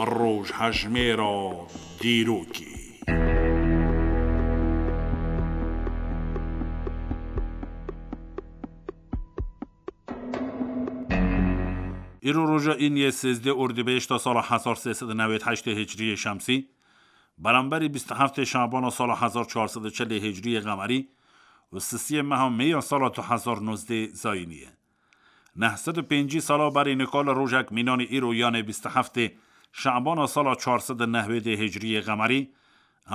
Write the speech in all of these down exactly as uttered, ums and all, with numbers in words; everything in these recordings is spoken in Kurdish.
Rojhejmêra dîrokê. Îro roja îniyê sêzdeh Ordîbehişta sala hezar sê sed û newêd heştê Hicriyê Şemsî, beramberî bîst û heftê Şabana sala hezar çar sed û çelê Hicriyê Qemerî û sisiyê meha Mê ya sala du hezar nozdeh Zayînî ye. Neh sed û pêncî sala berî nika li rojek mînanî îro, yanê bîst û heftê Şabana sala çar sed û newêdê Hicriyê Qemerî,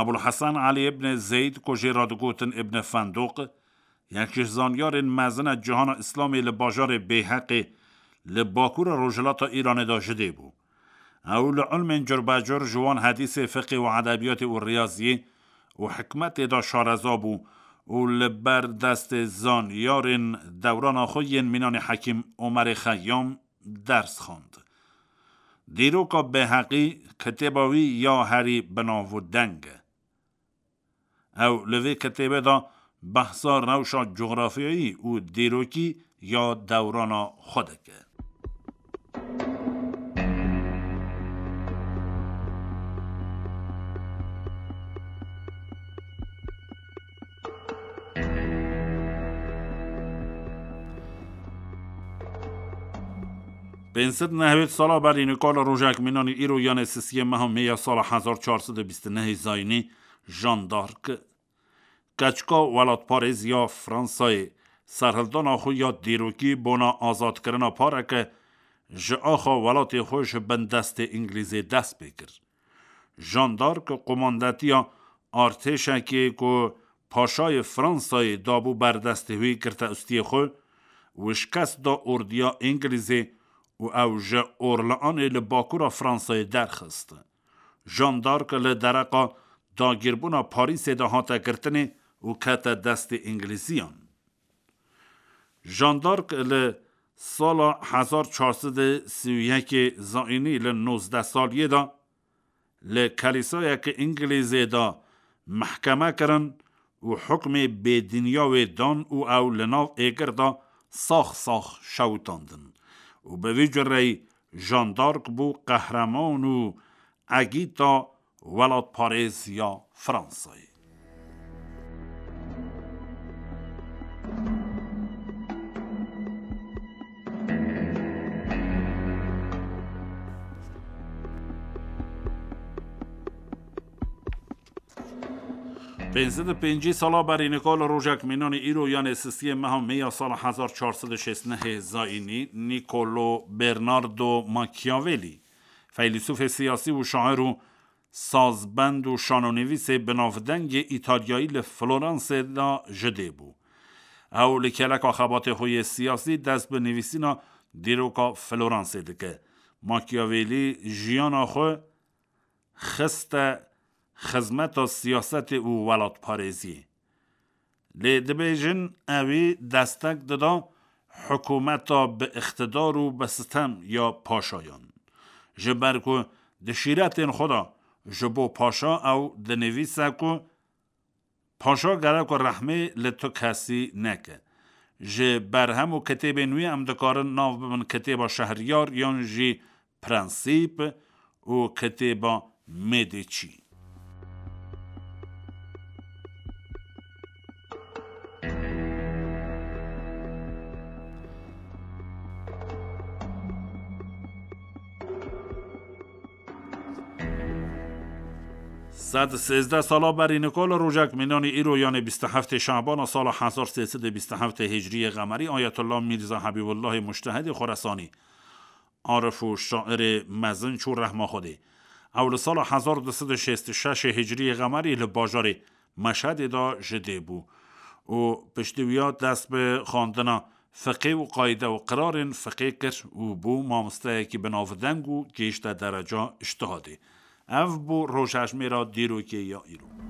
Ebul Hesen Elî ibn Zeyd, ku jê re digotin Ibn Fenduq, yek ji zanyarên mezin e cihana Îslamê li bajarê Bêheqê li bakûra rojhilata Îranê de ji dê bû. Ew li ilmên curbecur, ji wan hedîsê, fiqê û edebiyatê û riyaziyê û hikmetê de şareza bû û li ber destê zanyarên dewrana xwe yên mînanê Hekîm Omerê Xeyyam ders xwend. Dîroka Bêheqî kitêba wî ya herî bi nav û deng e. Ew li vê kitêbê de behsa rewşa cografyayî û dîrokî ya dewrana xwe dike. Pênc sed nehwêd sala berî nika li rojek mînanî îro, yanê sisiyê meha Mê ya sala hezar çar sed û bîst û nehê Zayînî, Jeanne d'Arc, keçika welatparêz ya Fransayê, serhildana xwe ya dîrokî bona azadkirina pareke ji axa welatê xwe ji bin destê Îngilîzê dest pê kir. Jeanne d'Arc qumandetiya artêşekê ku paşayê Fransayê dabû ber destê wî, girte ustiyê xwe û şikest da ordiya Îngilîzê û ew ji Orleanê li bakûra Fransayê derxist. Jeanne d'Arc li dereqa dagîrbûna Parîsê de hate girtinê û kete destê Îngilîziyan. Jeanne d'Arc li sala hezar çar sed û sî û yekê Zayînî, li nozdeh saliyê de, li kelîsayeke Îngilîzê de mehkeme kirin û hukmê bêdîniya wê dan û ew li nav êgir de sax sax şewitandin. Û bi vî cureyî Jeanne d'Arc bû qehreman û egîta welatparêz ya Fransayê. Pênc sed û pêncî sala berî nika li rojek mînanî îro, yanê sisiyê meha Mê ya sala hezar çar sed û şêst û nehê Zayînî, Niccolo Bernardo Machiavelli, feylesûfê siyasî û şair û sazbend û şanonivîsê binavdengê Îtalyayî, li Floransê de ji dê bû. Ew li keleka xebatê xwe yê siyasî dest bi nivîsîna dîroka Floransê dike. Machiavelli jiyana xwe xiste xizmeta siyasetê û welatparêziyê. Lê dibêjin, ewî destek dida hikûmeta bi îqtidar û bi sitem ya paşayan. Ji ber ku di şîretên xwe de ji bo paşa ew dinivîse ku paşa gerek ku rehmê li tu kesî neke. Ji berhem û kitêbên wî em dikarin nav bibin kitêba Şehriyar yan jî Prensîp û kitêba Medici. Sed sêzdeh sala berî nika li rojek mînanî îro, yanê bîst û heftê Şabana sala hezar sê sed û bîst û heftê Hicriyê Qemerî, Ayetullah Mîrza Hebîbullahê Mujtehidê Xoresanî, arif û şairê mezin çû rehma Xwedê. Ew li sala hezar du sed û şêst û şeş Hicriyê Qemerî li bajarê Meşhedê de ji dê bû û piştî wiya dest bi xwendina fiqê û qayde û qirarên fiqê kir û bû mamosteyekî binavdeng û gihişte dereca îctihadê. Ev bû rojhejmêra dîrokê ya îro.